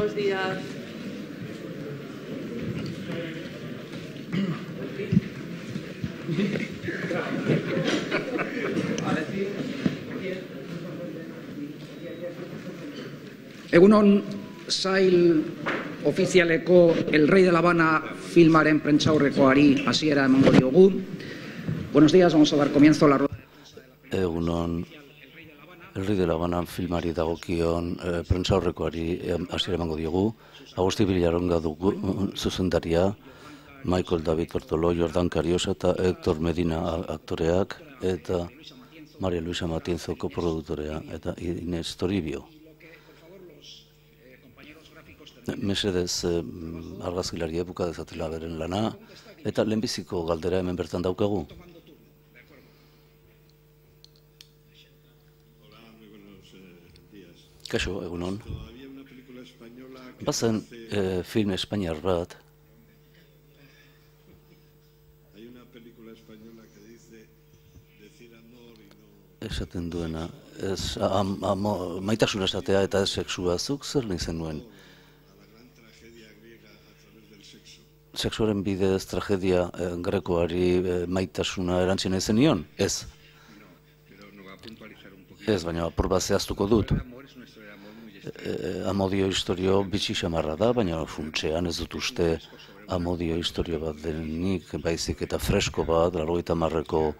Buenos días. Egunon, sail ofizialeko El Rey de la Habana filmaren prentsaurrekoari hasiera emango diogu. Buenos días, vamos a dar comienzo a la rueda. Egunon, El Rey de la Habana filmari dagokion prentsaurrekoari hasiera emango diogu. Agusti Villaronga dugu zuzendaria, Michael David Bertolo, Jordan Cariosa eta Héctor Medina aktoreak, eta Maria Luisa Matienzo koproduktorea, eta Inés Toribio. Mesedez argazkilari ebuka dezatela beren lana, eta lehenbiziko galdera hemen bertan daukagu. Kaixo, egunon. Bazen film espainiar bat. Esaten duena, maitasuna esatea eta ez sexua, zuk zer nintzen nuen? Sexuaren bidez tragedia grekoari maitasuna erantzien ezen nion? Ez. Ez, baina apur bat zehaztuko dut. Amodio historio bitxi xamarra da, baina funtsean ez dut uste amodio historio bat denik, baizik eta fresko bat, 80ko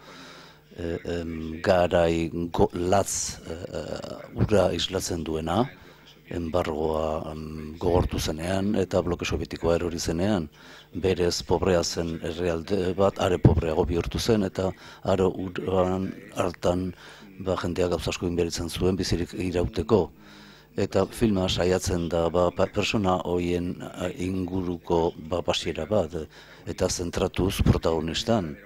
garai latz ura islatzen duena, enbargoa gogortu zenean eta bloke sovietikoa erori zenean. Berez pobrea zen herrialde bat, are pobreago bihurtu zen, eta are uran hartan jendeak gauza asko inberitzen zuen bizirik irauteko. Eta filma saiatzen da persona horien inguruko pasiera bat, eta zentratuz protagonistan.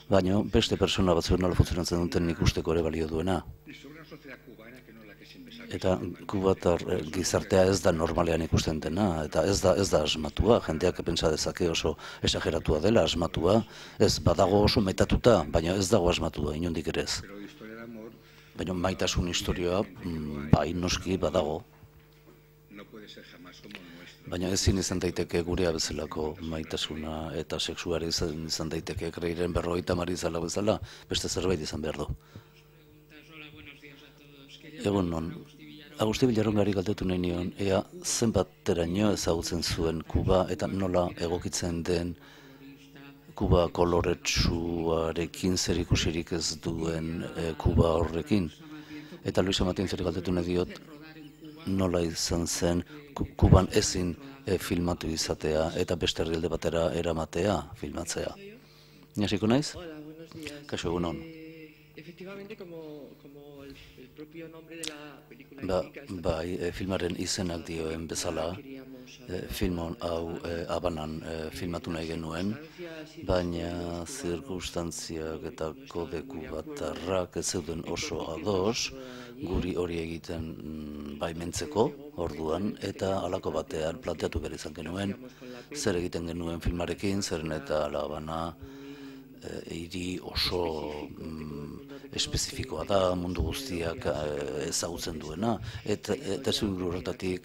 Baina beste persona batzuen nola funtzionatzen duten ikusteko ere balio duena. Eta kubatar gizartea ez da normalean ikusten dena, eta ez da asmatua. Jendeak pentsa dezake oso esageratua dela asmatua. Ez badago oso metatuta, baina ez dago asmatua, inondik ere ez. Baina maitasun historioa, bai noski badago. Baina ezin izan daiteke gurea bezalako maitasuna eta sexuari izan daiteke Kreiren 50 izala bezala, beste zerbait izan behar du. Egun non, Agusti Villarongari galdetu nahi nion, ea zenbateraino ezagutzen zuen Kuba eta nola egokitzen den Kuba koloretsuarekin zer ikusirik ez duen Kuba horrekin. Eta Luisa Matienzori galdetu nahi diot, nola izan zen Kuban ezin filmatu izatea eta beste herrialde batera eramatea, filmatzea. Inasiko naiz? Kaixo, egunon. Bai, filmaren izenak dioen bezala, film hau Habanan filmatu nahi genuen, baina zirkunstantziak eta kode kubatarrak ez zeuden oso ados, guri hori egiten baimentzeko orduan, eta halako batean planteatu behar izan genuen, zer egiten genuen filmarekin, zeren eta La Habana hiri oso espezifikoa da, mundu guztiak ezagutzen duena, eta zinguru horretatik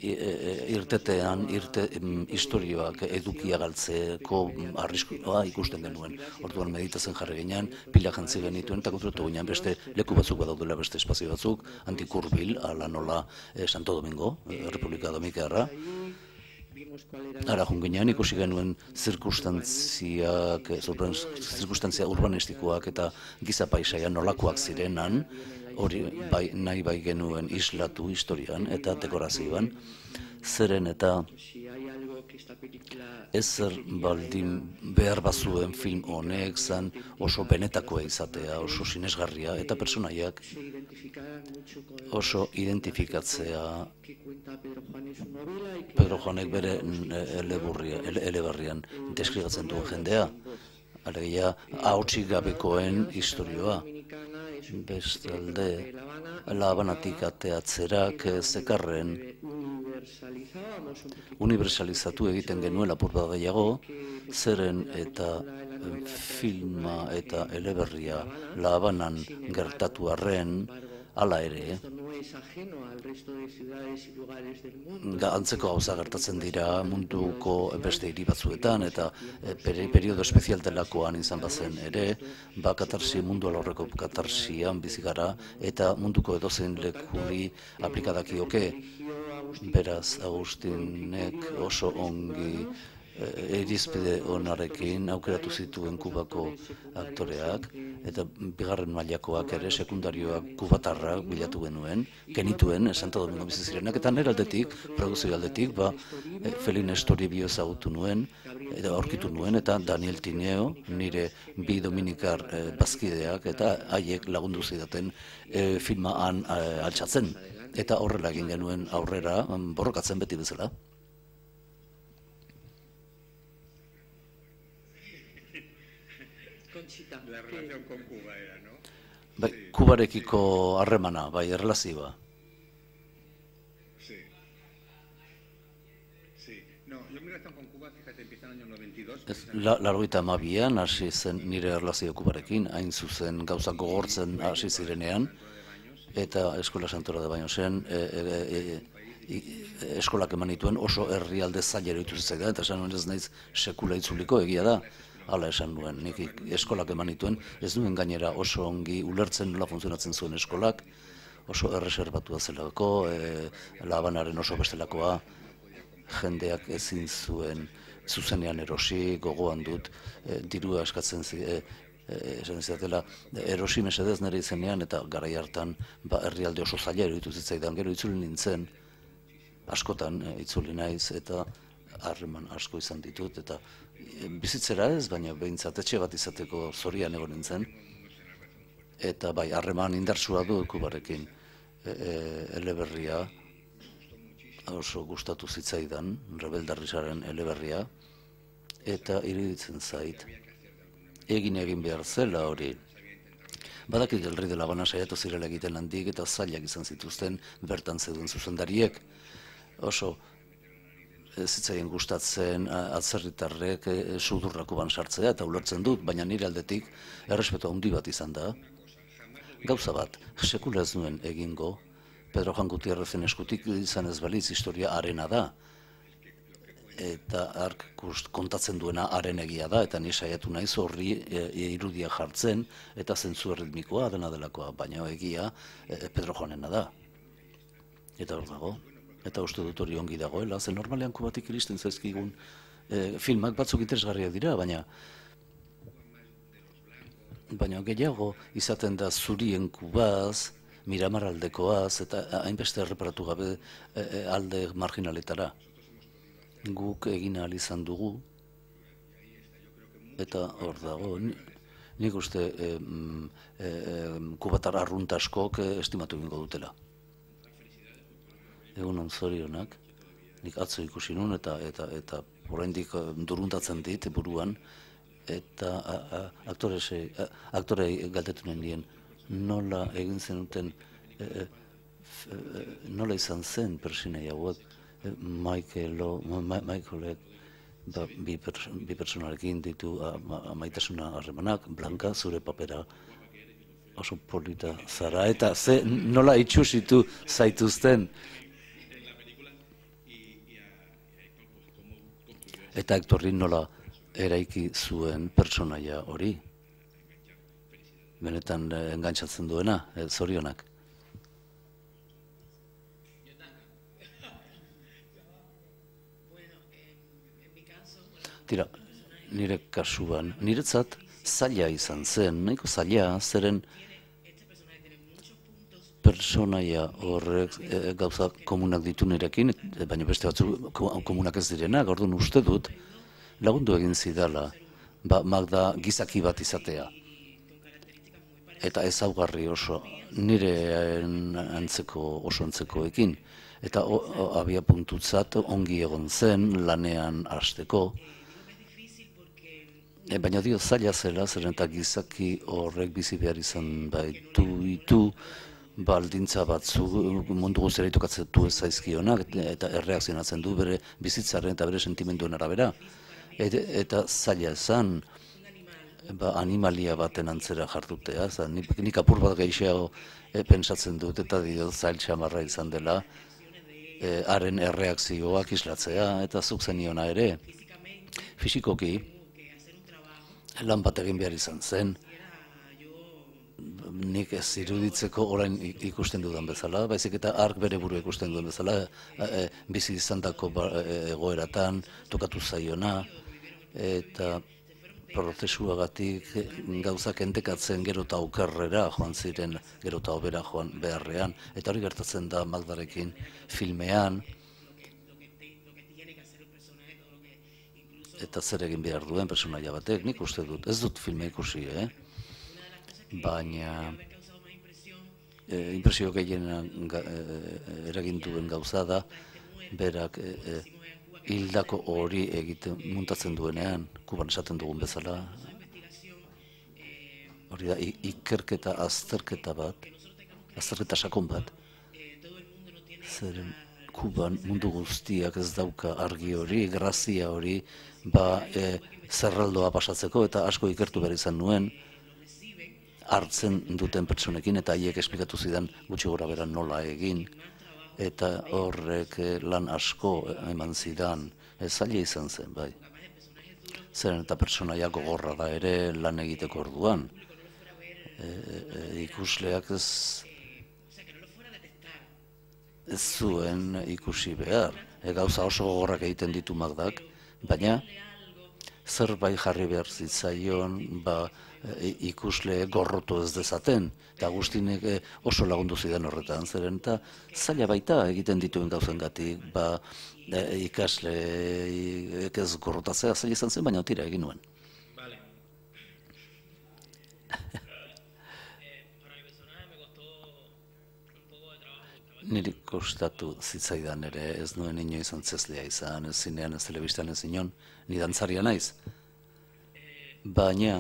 irtetean historioak edukia galtzeko arriskua ikusten genuen. Orduan meditatzen jarri ginean, pila jantzi genituen, eta konturatu ginean beste leku batzuk badaudela, beste espazio batzuk, Antikurbil, ala nola Santo Domingo, Republika Dominikarra. Ara junginean ikusi genuen zirkunstantzia urbanistikoak eta giza paisaia nolakoak zirenan, hori nahi bai genuen islatu historian eta dekorazioan, zeren eta ezer baldin behar bazuen film honek zan oso benetakoa izatea, oso sinesgarria eta personaiak oso identifikatzea. Pedro Juanek bere eleberrian deskribatzen duen jendea, alegia ahotsik gabekoen historioa. Bestalde, La Habanatik ateatzerak zekarren universalizatu egiten genuen apur bat gehiago, zeren eta filma eta eleberria La Habanan gertatu arren, Hala ere, antzeko gauza gertatzen dira munduko beste hiri batzuetan, eta periodo espezial delakoan izan bazen ere, katarsi, mundu alorreko katarsian bizi gara, eta munduko edozein lekuri aplikadakioke. Beraz, Agustinek oso ongi irizpide onarekin aukeratu zituen Kubako aktoreak, eta bigarren mailakoak ere, sekundarioak kubatarrak bilatu genituen, Santo Domingo bizi zirenak, eta nire aldetik, produzio aldetik, Felines Toribio ezagutu nuen, eta aurkitu nuen, eta Daniel Tineo, nire bi dominikar bazkideak, eta haiek lagundu zidaten filma han altxatzen. Eta horrela egin genuen aurrera, borrokatzen beti bezala. La relación con Cuba era, ¿no? Bai, Kubarekiko harremana, bai, erlazioa. Sí. Sí. No, yo mi relación con Cuba, fíjate, empieza en el año 92. Laurogeita hamabian hasi zen nire erlazio Kubarekin, hain zuzen gauzak gogortzen hasi zirenean, eta Eskola Santora de Bañosen eskolak eman dituen oso herrialde zailera ditu zitzaidan, eta esan nuen ez naiz sekula itzuliko, egia da. Hala esan nuen, nik eskolak eman dituen, ez duen gainera oso ongi ulertzen nola funtzionatzen zuen eskolak, oso erreserbatua zelako, La Habanaren oso bestelakoa, jendeak ezin zuen zuzenean erosi, gogoan dut, dirua eskatzen esan izatela, erosi mesedez nire izenean, eta garai hartan herrialde oso zaila eruditu zitzaidan, gero itzuli nintzen, askotan itzuli naiz, eta harreman asko izan ditut, eta bizitzera ez, baina behintzat etxe bat izateko zorian egon nintzen, eta bai, harreman indartsua du Kubarekin, eleberria, oso gustatu zitzaidan, Rebeldarrizaren eleberria, eta iruditzen zait, egin behar zela hori. Badakit El Rey de la Habana saiatu zirela egiten handik, eta zailak izan zituzten bertan zeuden zuzendariek, oso zitzaien gustatzen atzerritarrek sudurra Kuban sartzea, eta ulertzen dut, baina nire aldetik errespetu handi bat izan da. Gauza bat, sekula ez nuen egingo, Pedro Juan Gutierrezen eskutik izan ez balitz historia harena da, eta ark kontatzen duena haren egia da, eta ni saiatu naiz horri irudia jartzen, eta zentzu erritmikoa dena delakoa, baina egia Pedro Juanena da. Eta hor dago. Eta uste dut hori ongi dagoela, zen normalean Kubatik iristen zaizkigun filmak batzuk interesgarriak dira, baina gehiago izaten da zurien Kubaz, Miramar aldekoaz, eta hainbeste erreparatu gabe alde marginaletara. Guk egin ahal izan dugu, eta hor dago, nik uste kubatar arrunt askok estimatu egingo dutela. Egunon zorionak, nik atzo ikusi nun eta oraindik duruntatzen dit buruan, eta aktorei galdetu nien nola egin zenuten, nola izan zen persinei hauek, Michaelek bi pertsonarekin ditu maitasuna harremanak, Blanca, zure papera oso polita zara, eta nola itxusitu zaituzten. Eta Hectorri nola eraiki zuen pertsonaia hori. Benetan engantzatzen duena, zorionak. Tira, nire kasuan, niretzat zaila izan zen, nahiko zaila, zeren pertsonaia horrek gauza komunak ditu nirekin, baina beste batzu komunak ez direnak, orduan uste dut, lagundu egin zidala, Magda gizaki bat izatea. Eta ezaugarri oso nire oso antzekoekin. Eta abia puntutzat ongi egon zen lanean hasteko. Baina dio zaila zela, zeren eta gizaki horrek bizi behar izan baitu baldintza batzu mundu guztiara itokatzetu ez zaizkionak eta erreakzionatzen du bere bizitzaren eta bere sentimenduen arabera. Eta zaila esan animalia baten antzera jartutea, nik apur bat gehiago pentsatzen dut eta dio zail txamarra izan dela, haren erreakzioak islatzea, eta zuk zeniona ere, fisikoki, lan bat egin behar izan zen, nik ez iruditzeko orain ikusten dudan bezala, baizik eta ark bere buru ikusten duen bezala, bizi izandako egoeratan, tokatu zaiona, eta prozesuagatik gauzak entekatzen gero eta okerrera joan ziren, gero eta hobera joan beharrean, eta hori gertatzen da Magdarekin filmean, eta zer egin behar duen personaia batek, nik uste dut, ez dut filme ikusi, baina impresio gehien eragin duen gauza da, berak hildako hori egiten muntatzen duenean, Kuban esaten dugun bezala, hori da, ikerketa, azterketa sakon bat, zeren Kuban mundu guztiak ez dauka argi hori, grazia hori, zerraldoa pasatzeko, eta asko ikertu behar izan nuen, hartzen duten pertsonekin, eta haiek esplikatu zidan gutxi gora bera nola egin, eta horrek lan asko eman zidan, zaila izan zen, bai. Zeren eta pertsonaia gogorra da ere lan egiteko orduan. Ikusleak ez zuen ikusi behar. Gauza oso gogorrak egiten ditu Magdak, baina zerbait jarri behar zitzaion, ikusle gorrotu ez dezaten, eta Agustinek oso lagundu zidan horretan, zeren eta zaila baita egiten dituen gauzengatik, ikasle ez gorrotatzea zaila izan zen, baina tira egin nuen. Niri kostatu zitzaidan ere, ez nuen inoiz antzezlea izan, ez zinean, ez telebistan ez inon, ni dantzaria naiz. Baina,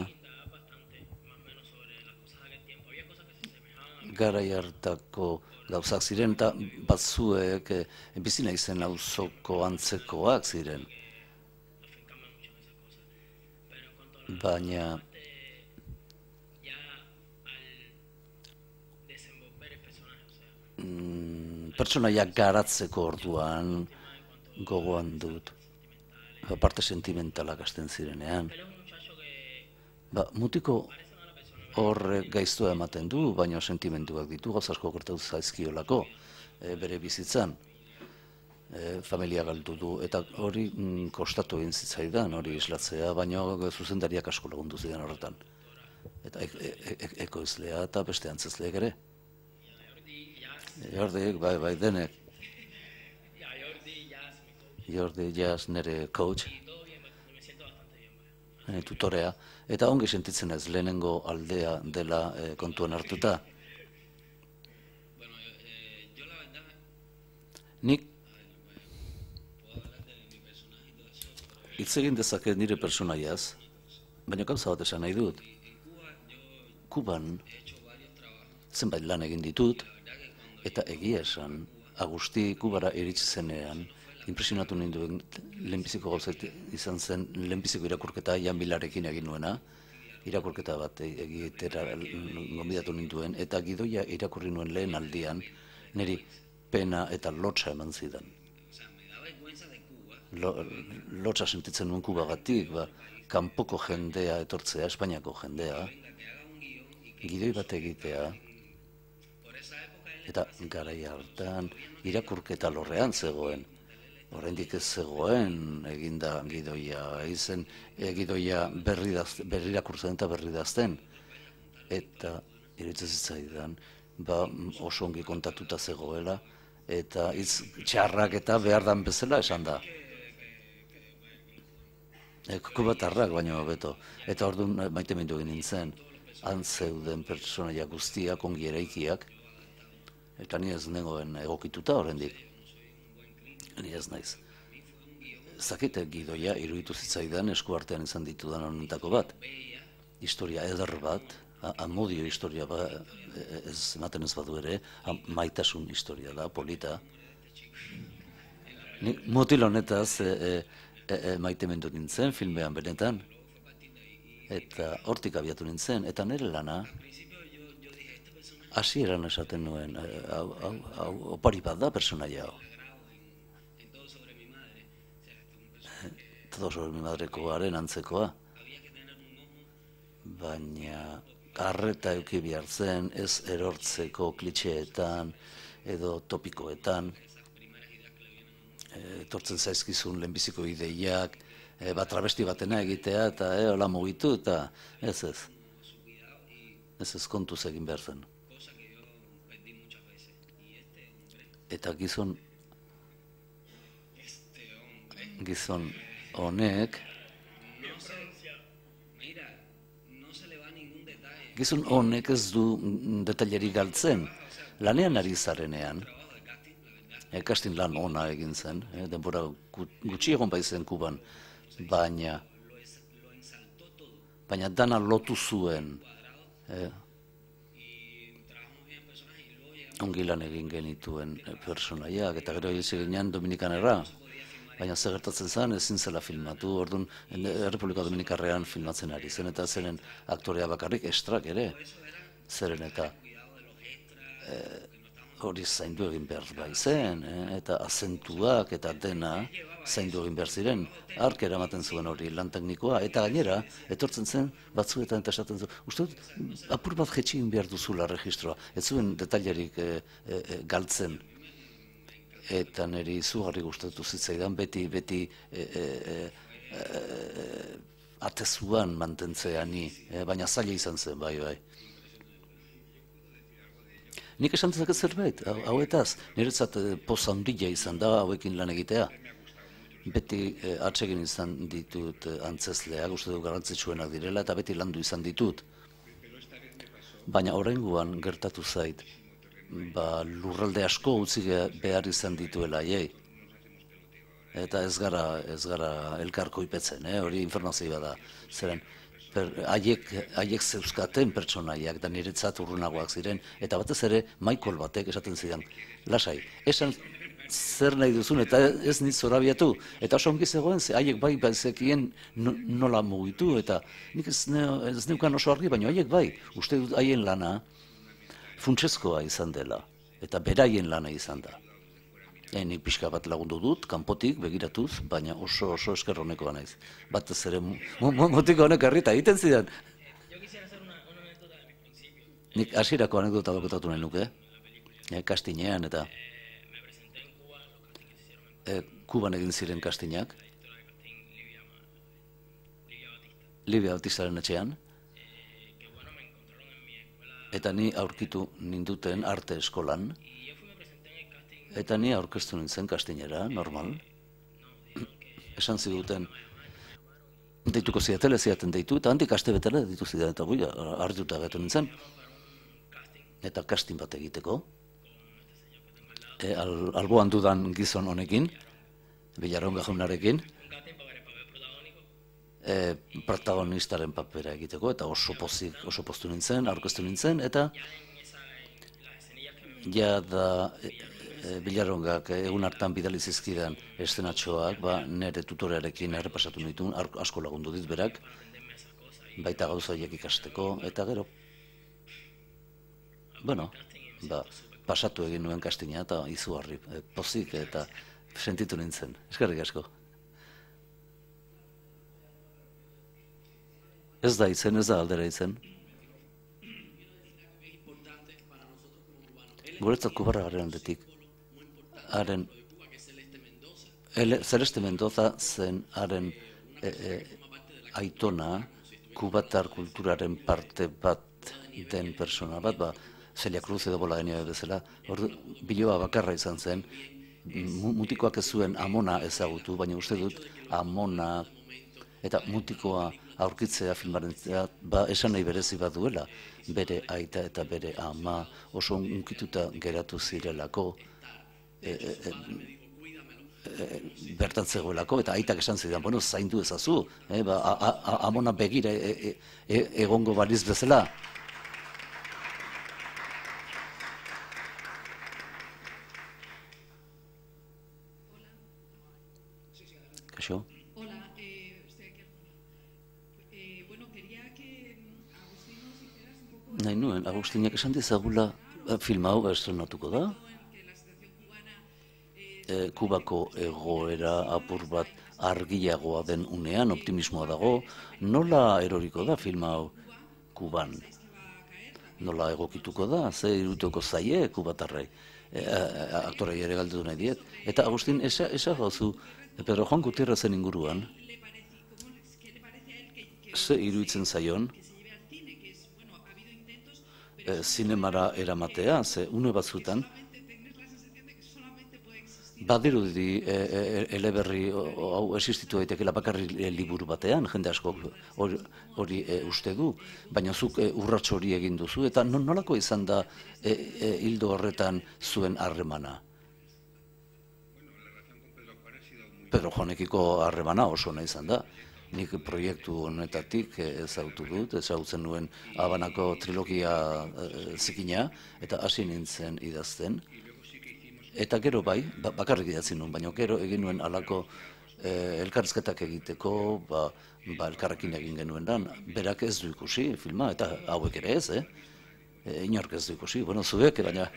garai hartako gauzak ziren, eta batzuek bizi naizen auzoko antzekoak ziren. Baina, pertsonaiak garatzeko orduan gogoan dut, parte sentimentalak hasten zirenean. Mutiko horrek gaiztua ematen du, baina sentimenduak ditu, gauza asko gertatu zaizkiolako bere bizitzan. Familia galdu du, eta hori kostatu egin zitzaidan, hori islatzea, baina zuzendariak asko lagundu zidan horretan. Eta ekoizlea eta beste antzezleek ere. Jordik, bai, denek. Jordi Jazz nire coach, tutorea, eta ongi sentitzen ez lehenengo aldea dela kontuan hartuta. Nik hitz egin dezaket nire personaiaz, baina gauza bat esan nahi dut. Kuban zenbait lan egin ditut, eta egia esan, Agusti Kubara iritsi zenean, impresionatu ninduen lehenbiziko gauzat izan zen, lehenbiziko irakurketa Jan Bilarekin egin nuena, irakurketa bat egitera gonbidatu ninduen, eta gidoia irakurri nuen lehen aldian, niri pena eta lotsa eman zidan. Lotsa sentitzen nuen Kubagatik, kanpoko jendea etortzea, Espainiako jendea, gidoi bat egitea, eta garai hartan irakurketa lorrean zegoen. Oraindik ez zegoen eginda gidoia, izen gidoia berri irakurtzen eta berri dazten. Eta iruditzen zitzaidan, oso ongi kontatuta zegoela, eta hitz txarrak eta behar dan bezala esan da. Kubatarrak baino hobeto. Eta orduan maitemindu egin nintzen, han zeuden pertsonaia guztiak ongi eraikiak, eta ni ez nengoen egokituta oraindik. Ni ez naiz. Zakite gidoia iruditu zitzaidan eskuartean izan ditudan honetako bat. Historia eder bat, amodio historia bat, ez ematen ez badu ere, maitasun historia da, polita. Nik mutil honetaz maitemendu nintzen filmean benetan. eta hortik abiatu nintzen, eta nire lana, hasieran esaten nuen, hau opari bat da personaia hau. Todo sobre mi madrekoaren antzekoa. Baina arreta eduki behar zen, ez erortzeko klitxeetan edo topikoetan, etortzen zaizkizun lehenbiziko ideiak, travesti batena egitea eta hola mugitu eta ez. Ez kontuz egin behar zen. Eta gizon honek ez du detaileri galtzen. Lanean ari zarenean, casting lan ona egin zen, denbora gutxi egon baizen Kuban, baina dana lotu zuen. Ongi lan egin genituen personaiak, eta gero hil ziginean Dominikanera, baina zer gertatzen zen ezin zela filmatu, orduan Errepublika Dominikarrean filmatzen ari zen, eta zeren aktorea bakarrik estrak ere, zeren eta hori zaindu egin behar bai zen, eta azentuak eta dena zaindu egin behar ziren, ark eramaten zuen hori lan teknikoa, eta gainera, etortzen zen batzuetan eta esaten zuen, uste dut, apur bat jetxi egin behar duzula registroa, ez zuen detailerik galtzen, eta niri izugarri gustatu zitzaidan, beti atezuan mantentzea ni, baina zaila izan zen, bai. Nik esan dezaket zerbait, hauetaz, niretzat poz handia izan da hauekin lan egitea. Beti atsegin izan ditut antzezleak, uste dut garrantzitsuenak direla, eta beti landu izan ditut. Baina oraingoan gertatu zait, lurralde asko utzi behar izan dituela haiei. Eta ez gara elkarkoipetzen, hori informazioa da. Zeren, haiek zeuzkaten pertsonaiak da niretzat urrunagoak ziren, eta batez ere Michael batek esaten zidan, lasai, esan zer nahi duzun eta ez nit zorabiatu, eta oso ongi zegoen, haiek bai bazekien nola mugitu, eta nik ez neukan oso argi, baina haiek bai, uste dut haien lana funtsezkoa izan dela, eta beraien lana izan da. Nik pixka bat lagundu dut, kanpotik begiratuz, baina oso esker honekoa naiz. Batez ere motiko honek harrita egiten zidan. Nik hasierako anekdota bakotatu nahi nuke, kastinean eta Kuban egin ziren kastinak, Livia Batistaren etxean, eta ni aurkitu ninduten arte eskolan, eta ni aurkeztu nintzen kastinera, normal. Esan ziduten, deituko zidaten deitu, eta handik aste betela deitu zidaten, eta gui, hartuta gaitu nintzen. Eta kastin bat egiteko. Alboan dudan gizon honekin, Villaronga jaunarekin, protagonistaren papera egiteko, eta oso poztu nintzen, aurkeztu nintzen, eta jada Villarongak egun hartan bidali zizkidan eszenatxoak, nire tutorearekin errepasatu nituen, asko lagundu dit berak, baita gauza horiek ikasteko, eta gero, pasatu egin nuen kastina eta izugarri, pozik eta sentitu nintzen. Eskerrik asko. Ez da izen, ez da aldera izen. Guretzat Kubarra garen aldetik. Celeste Mendoza zen haren aitona, kubatar kulturaren parte bat den persona bat, Celia Cruz edo bola genio bezala, biloa bakarra izan zen, mutikoak ez zuen Amona ezagutu, baina uste dut Amona eta mutikoa aurkitzea filmaren esan nahi berezi bat duela, bere aita eta bere ama oso unkituta geratu zirelako, bertan zegoelako, eta aitak esan zidan, zaindu ezazu, Amona begira egongo baliz bezala. Kaixo? Hola, estoy aquí. Bueno, quería genuen, Agustinak esan dizagula film hau estrenatuko da. Kubako egoera apur bat argiagoa den unean, optimismoa dago. Nola eroriko da film hau Kuban? Nola egokituko da? Ze iruteko zaie kubatarrei? Aktorei ere galdetu nahi diet. Eta Agustin, esa gauzu, Pedro Juan Gutierrezen inguruan, ze iruditzen zaion, zinemara eramatea, ze une batzutan, badirudi eleberri hau existitu daitekeela bakarri liburu batean, jende asko hori uste du, baina zuk urrats hori egin duzu, eta nolako izan da hildo horretan zuen harremana? Pedro Juanekiko harremana oso ona izan da. Nik proiektu honetatik ezagutzen nuen Habanako trilogia zikina, eta hasi nintzen idazten. Eta gero bai, bakarrik idatzi nuen, baina gero egin nuen halako elkarrizketak egiteko, elkarrekin egin genuen dan. Berak ez du ikusi filma, eta hauek ere ez, inork ez du ikusi, zuek, baina...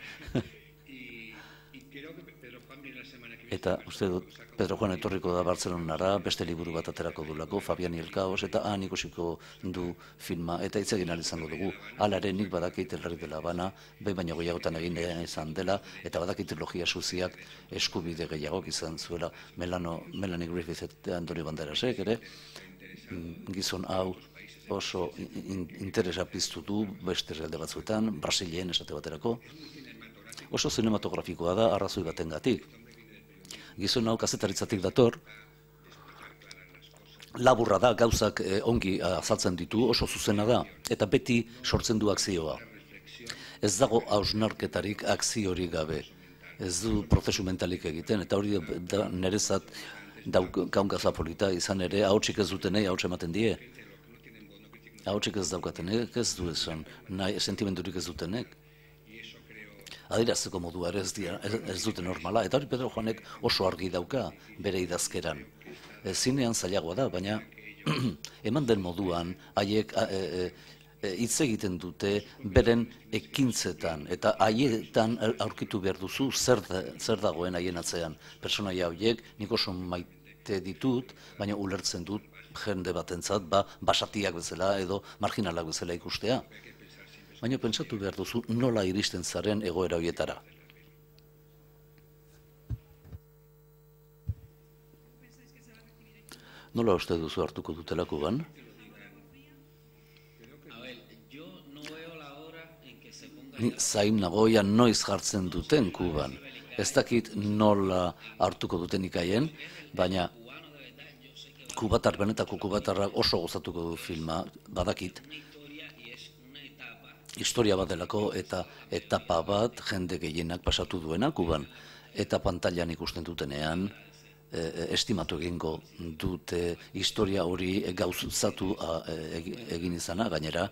Eta uste dut, Pedro Juan etorriko da Bartzelonara, beste liburu bat aterako dulako, Fabián y el Caos, eta han ikusiko du filma, eta hitz egin ahal izango dugu. Halare nik badakit El Rey de la Habana, behin baino gehiagotan egin izan dela, eta badakit trilogia suziak eskubide gehiagok izan zuela Melanie Griffith eta Antonio Banderasek ere, gizon hau oso interesa piztu du beste herrialde batzuetan, Brasilen esate baterako, oso zinematografikoa da arrazoi batengatik. Gizon hau kazetaritzatik dator, laburra da, gauzak ongi azaltzen ditu, oso zuzena da, eta beti sortzen du akzioa. Ez dago hausnarketarik akziorik gabe, ez du prozesu mentalik egiten, eta hori da nerezat kaunkaza polita izan ere, ahotsik ez dutenei ahots ematen die. Ahotsik ez daukatenek, ez du esan, sentimendurik ez dutenek. Adierazteko modua ere ez dute normala, eta hori Pedro Juanek oso argi dauka bere idazkeran. Zinean zailagoa da, baina eman den moduan haiek hitz egiten dute beren ekintzetan, eta haietan aurkitu behar duzu zer dagoen haien atzean. Pertsonaia horiek nik oso maite ditut, baina ulertzen dut jende batentzat basatiak bezala edo marginalak bezala ikustea. Baina pentsatu behar duzu nola iristen zaren egoera horietara. Nola uste duzu hartuko dutela Kuban? Zain nagoia noiz jartzen duten Kuban. Ez dakit nola hartuko duten ikaien, baina benetako kubatarrak oso gozatuko du filma, badakit. Historia bat delako eta etapa bat jende gehienak pasatu duena Kuban. Eta pantailan ikusten dutenean, estimatu egingo dute historia hori gauzatu egin izana, gainera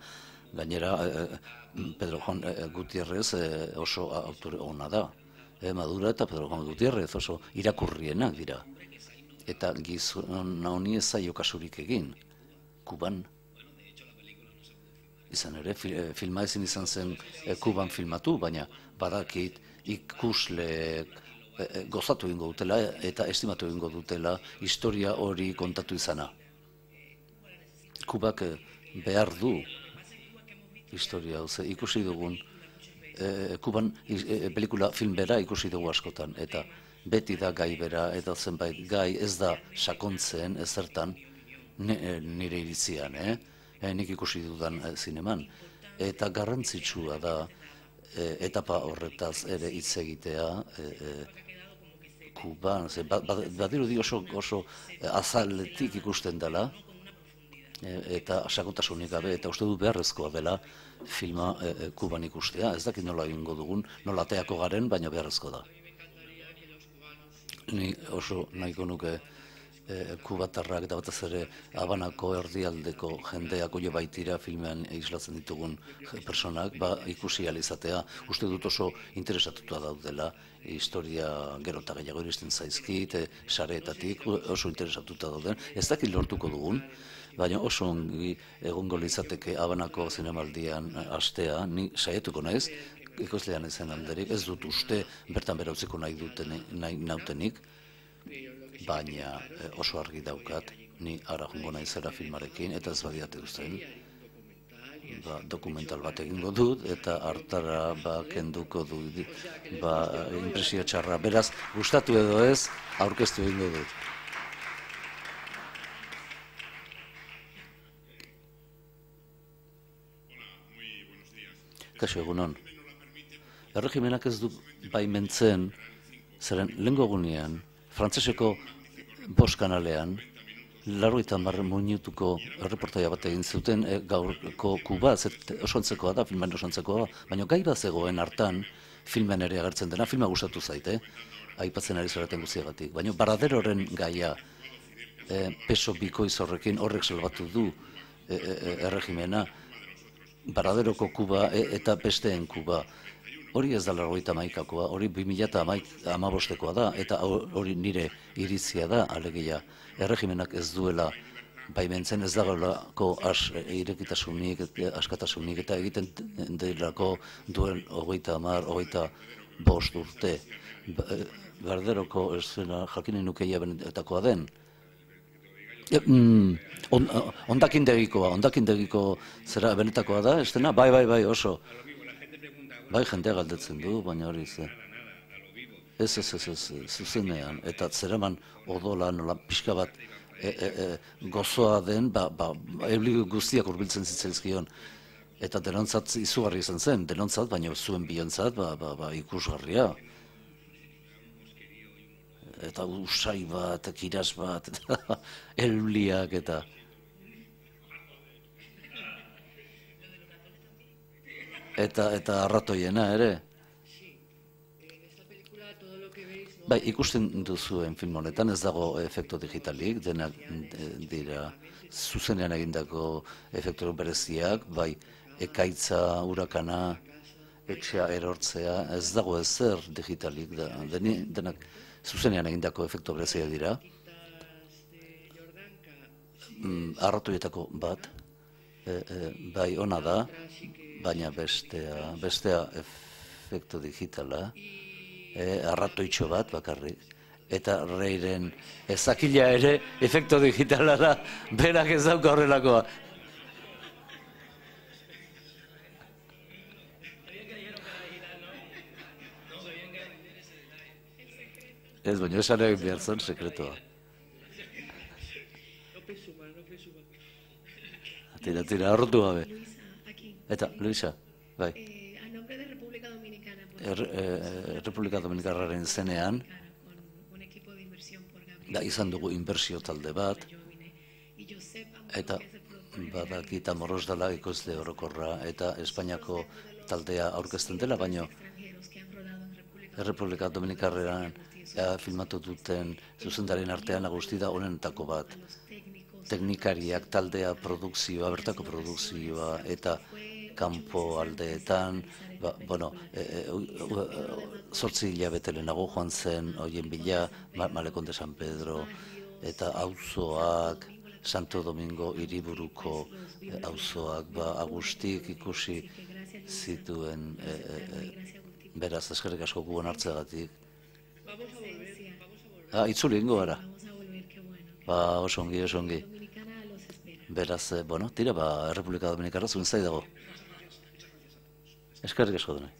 Pedro Juan Gutierrez oso autore ona da. Madura eta Pedro Juan Gutierrez oso irakurrienak dira. Eta gizon honi ez zaio kasurik egin, Kuban. Izan ere, filma ezin izan zen Kuban filmatu, baina badakit ikusleek gozatu egingo dutela eta estimatu egingo dutela historia hori kontatu izana. Kubak behar du historia, ikusi dugun, Kuban pelikula film bera ikusi dugu askotan, eta beti da gai bera, eta zenbait gai ez da sakontzen ezertan nire iritzian, nik ikusi dudan zineman. Eta garrantzitsua da etapa horretaz ere hitz egitea Kuban, badirudi oso azaletik ikusten dela, eta sakontasunik gabe, eta uste du beharrezkoa dela filma Kuban ikustea. Ez dakit nola egingo dugun, nola ateako garen, baina beharrezkoa da. Ni oso nahiko nuke kubatarrak eta batez ere Habanako erdialdeko jendeak oie baitira filmean islatzen ditugun personak, ikusi ahal izatea. Uste dut oso interesatuta daudela, historia gero eta gehiago iristen zaizkit, sareetatik oso interesatuta dauden. Ez dakit lortuko dugun, baina oso ongi egongo litzateke Habanako zinemaldian astea, ni saietuko naiz, ikuslean izan alderik, ez dut uste bertan bera utziko nahi nautenik, baina oso argi daukat, ni ara jongo naizera filmarekin, eta ez badiate usten, dokumental bat egingo dut, eta hartara kenduko dut, impresio txarra. Beraz, gustatu edo ez, aurkeztu egingo dut. Kaixo, egunon. Erregimenak ez du baimentzen, zeren lehengo egunean, frantseseko 5 kanalean, 80 minutuko erreportaia bat egin zuten gaurko Kuba, oso antzekoa da, filmen oso antzekoa, baina gai bat zegoen hartan, filmen ere agertzen dena, filma gustatu zaite, aipatzen ari zoraten guztiagatik, baina Baraderoren gaia, peso bikoiz horrekin horrek salbatu du erregimena, Baraderoko Kuba eta besteen Kuba. Hori ez da 81koa, hori 2015koa da, eta hori nire iritzia da, alegia. Erregimenak ez duela baimentzen, ez dagoelako irekitasunik, askatasunik, eta egiten delako duen 25 urte. Baraderoko esena jakinen nukeia benetakoa den. Ondakindegiko zera benetakoa da, estena? Bai, oso. Bai, jendea galdetzen du, baina hori ze. Ez, zuzenean. Eta zeraman odola nola pixka bat gozoa den, euli guztiak hurbiltzen zitzaizkion. Eta denontzat izugarri izan zen, denontzat, baina zuen biontzat, ikusgarria. Eta usai bat, kiras bat, euliak eta... Eta arratoiena ere. Bai, ikusten duzuen film honetan ez dago efektu digitalik, denak dira zuzenean egindako efektu bereziak, bai, ekaitza, urakana, etxea erortzea, ez dago ezer digitalik, denak zuzenean egindako efektu bereziak dira. Arratoietako bat, bai, ona da, baina bestea efektu digitala, arratoitxo bat bakarrik, eta Reiren ezakila ere efektu digitala da, berak ez dauka horrelakoa. Ez, baina esan egin behar zen sekretoa. Tira, arrotu gabe. Eta, Luisa, bai. A nombre de República Dominicana. República Dominikarraren zenean, izan dugu inbertsio talde bat, eta badakita Moros dela ikusle orokorra, eta Espainiako taldea aurkezten dela, baino República Dominikarrean filmatu duten zuzendarien artean nagusi da honenetako bat. Teknikariak, taldea, produkzioa, bertako produkzioa, eta kanpo aldeetan, 8 hilabete lehenago joan zen, hoien bila, Malekon de San Pedro, eta auzoak, Santo Domingo hiriburuko auzoak, agustik ikusi zituen, beraz, eskerrik asko gugon hartzeagatik. Itzuli ingo gara. Oso ongi. Beraz, tira, Errepublika Dominikarra zuen zai dago. Eskerrik asko denoi.